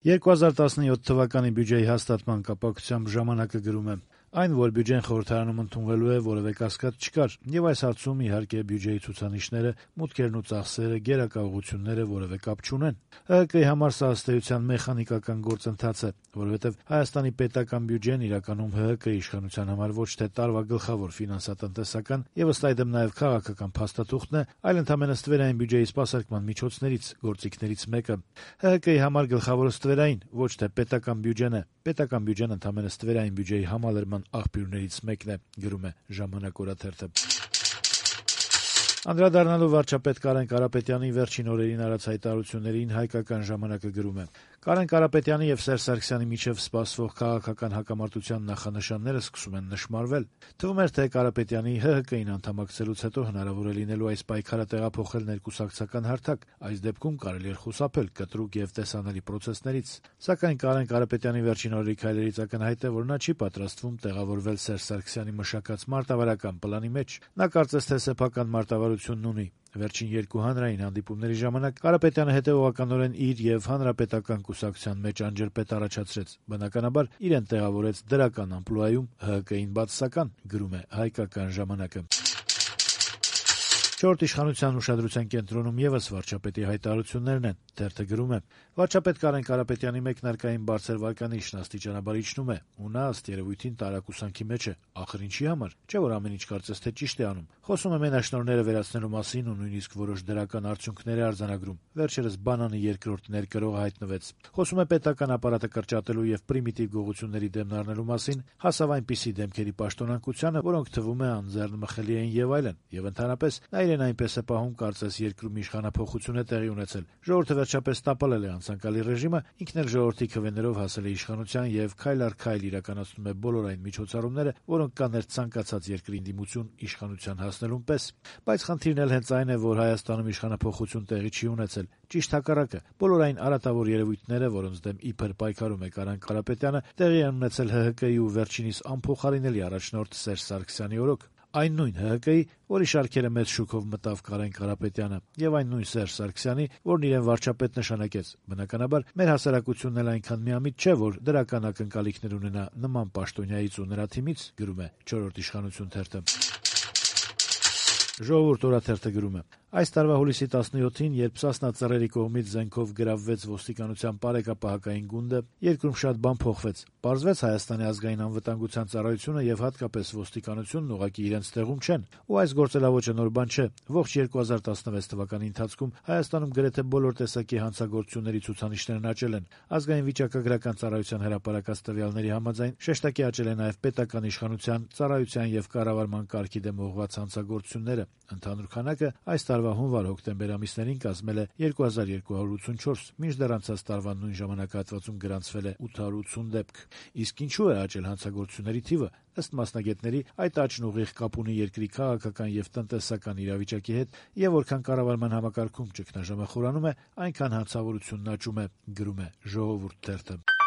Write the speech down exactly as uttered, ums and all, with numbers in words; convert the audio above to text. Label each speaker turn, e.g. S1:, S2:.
S1: երկու հազար տասնյոթ թվականի բյուջեի հաստատման կապակցությամբ «Ժամանակ»-ը գրում է. Այն, որ բյուջեն խորհրդարանում ընդունվելու է, որևէ կասկած չկար, եւ այս հարցում, իհարկե, բյուջեի ցուցանիշները, մուտքերն ու ծախսերը, գերակաղությունները որևէ կապ չունեն։ ՀՀԿ-ի համար սա ըստ էության մեխանիկական գործընթաց է, որովհետեւ Հայաստանի պետական բյուջեն իրականում ՀՀԿ-ի իշխանության համար ոչ թե տարվա գլխավոր ֆինանսատնտեսական եւ ըստ այդմ նաեւ քաղաքական փաստաթուղթն է, այլ ընդհանրապես ստվերային բյուջեի սպասարկման միջոցներից, գործիքներից մեկը։ ՀՀԿ-ի համար գլխավորը ստվերային, ոչ թե պետական բյուջեն է։ Պետական բյուջեն ընդհանրապես ստվերային բյուջեի համալրման աղբյուրներից մեկն է, գրում է «Ժամանակ» օրաթերթը։ Անդրադառնալով վարչապետ Կարեն Կարապետյանի վերջին օրերին արած հայտարարություններին «Հայկական ժամանակ»-ը գրում է. Կարեն Կարապետյանի եւ Սերժ Սարգսյանի միջեւ սպասվող քաղաքական հակամարտության նախանշանները սկսում են նշմարվել։ Թվում էր, թե Կարապետյանի ՀՀԿ-ին անդամակցելուց հետո հնարավոր է լինելու այս պայքարը տեղափոխել ներկուսակցական հարթակ, այս դեպքում կարելի էր խուսափել կտրուկ եւ տեսանելի պրոցեսներից։ Սակայն Կարեն Կարապետյանի վերջին օրերի քայլերից ակնհայտ է, որ նա չի պատրաստվում տեղավորվել Սերժ Սարգսյանի մշակած մարտավարական պլանի մեջ։ Նա կարծես թե սեփական մարտավարությունն ունի։ Վերջին երկու հանրային հանդիպումների ժամանակ Կարապետյանը հետեւողականորեն իր եւ հանրապետական կուսակցության մեջ անջրպետ առաջացրեց։ Բնականաբար իրեն տեղավորեց դրական ամպլուայում ՀՀԿ-ին բացասական, գրում է «Հայկական ժամանակ»-ը։ Չորրորդ իշխանության ուշադրության կենտրոնում եւս վարչապետի հայտարարություններն են։ Թերթը գրում է. վարչապետ Կարեն Կարապետյանի մեկնարկային բարձր վարկանիշն աստիճանաբար իջնում է, ու նա ըստ երևույթին տարակուսանքի մեջ է։ Ախր ինչի համար։ Չէ՞ որ ամեն ինչ կարծես թե ճիշտ է անում։ Խոսում է մենաշնորհները վերացնելու մասին ու նույնիսկ որոշ դրական արդյունքներ է արձանագրում։ Վերջերս բանանի երկրորդ ներկրողը հայտնվեց։ Խոսում է պետական ապարատը կրճատելու եւ պրիմիտիվ գողությունների դեմն առնելու մասին, հասավ այնպիսի դեմքերի պաշտոնակությանը, որոնք թվում է անձեռնմխելի են եւ այլն։ Եվ ընդհանրապես նա իրեն այնպես է պահում, կարծես երկրում իշխանափոխություն է տեղի ունեցել։ Ժողովուրդը վերջապես տապալել է անցանկալի ռեժիմը, ինքն էլ ժողովրդի քվեներով հասել է իշխանության եւ քայլ առ քայլ իրականացնում է բոլոր այն միջոցառումները, որոնք կաներ ցանկացած երկրի դիմություն իշխանության հասնելուն պես։ Բայց խնդիրն էլ հենց այն է, որ Հայաստանում իշխանափոխություն տեղի չի ունեցել։ Ճիշտ հակառակը, բոլոր այն արատավոր երևույթները, որոնց դեմ իբր պայքարում է Կարեն Կարապետյանը, տեղի են ունեցել ՀՀԿ-ի ու վերջինիս անփոխարինելի առաջնորդ Սերժ Սարգսյանի օրոք։ Այն նույն ՀՀԿ-ի, որի շարքերը մեծ շուկով մտավ Կարեն Կարապետյանը, եւ այն նույն Սերժ Սարգսյանի, որն իրեն վարչապետ նշանակեց։ Բնականաբար, մեր հասարակությունն էլ այնքան միամիտ չէ, որ դրական ակնկալիքներ ունենա նման պաշտոնյայից ու նրա թիմից, գրում է «Չորրորդ իշխանություն» թերթը։ «Ժողովուրդ» օրաթերթը գրում է. այս տարվա հուլիսի տասնյոթին, երբ Սասնա ծռերի կողմից զենքով գրավվեց ոստիկանության պարեկապահակային գունդը, երկրում շատ բան փոխվեց։ Պարզվեց Հայաստանի ազգային անվտանգության ծառայությունը եւ հատկապես ոստիկանությունն ուղղակի իրենց տեղում չեն, ու այս գործելավոճը նոր բան չէ։ Ողջ երկու հազար տասնվեց թվականի ընթացքում Հայաստանում գրեթե բոլոր տեսակի հանցագործությունների ցուցանիշներն աճել են։ Ազգային վիճակագրական ծառայության հրապարակած տվյալների համաձայն շեշտակի աճել է նաեւ պետական իշխանության, ծառայության եւ կառավարման կարգի դեմ ուղղված հանցագործությունները։ Ընդհանուր քանակը այս տարվա հունվար-հոկտեմբեր ամիսներին կազմել է երկու հազար երկու հարյուր ութսունչորս, մինչդեռ անցած տարվա նույն ժամանակահատվածում գրանցվել է ութ հարյուր ութսուն դեպք։ Իսկ ինչու է աճել հանցագործությունների թիվը։ Ըստ մասնագետների, այդ աճն ուղիղ կապ ունի երկրի քաղաքական եւ տնտեսական իրավիճակի հետ, եւ որքան կառավարման համակարգում ճգնաժամը խորանում է, այնքան հանցավորությունն աճում է, գրում է «Ժողովուրդ» թերթը։